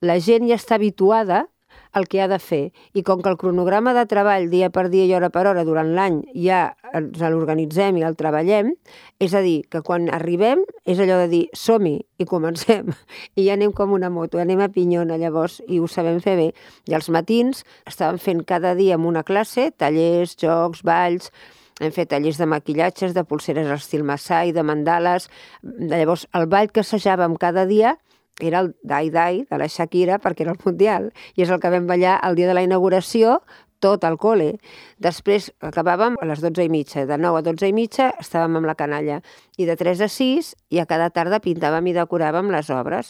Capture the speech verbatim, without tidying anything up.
la gent ja està habituada el que ha de fer. I com que el cronograma de treball dia per dia i hora per hora durant l'any ja ens l'organitzem i el treballem, és a dir, que quan arribem és allò de dir som-hi i comencem. I ja anem com una moto, anem a pinyona llavors i ho sabem fer bé. I als matins estàvem fent cada dia en una classe, tallers, jocs, balls, hem fet tallers de maquillatges, de pulseres a estil Masai, de mandales. Llavors el ball que assajàvem cada dia era el Dai Dai de la Shakira perquè era el Mundial i és el que vam ballar el dia de la inauguració tot al col·le. Després acabàvem a les dotze i mitja, de nou a dotze i mitja estàvem amb la canalla i de tres a sis i a cada tarda pintàvem i decoràvem les obres.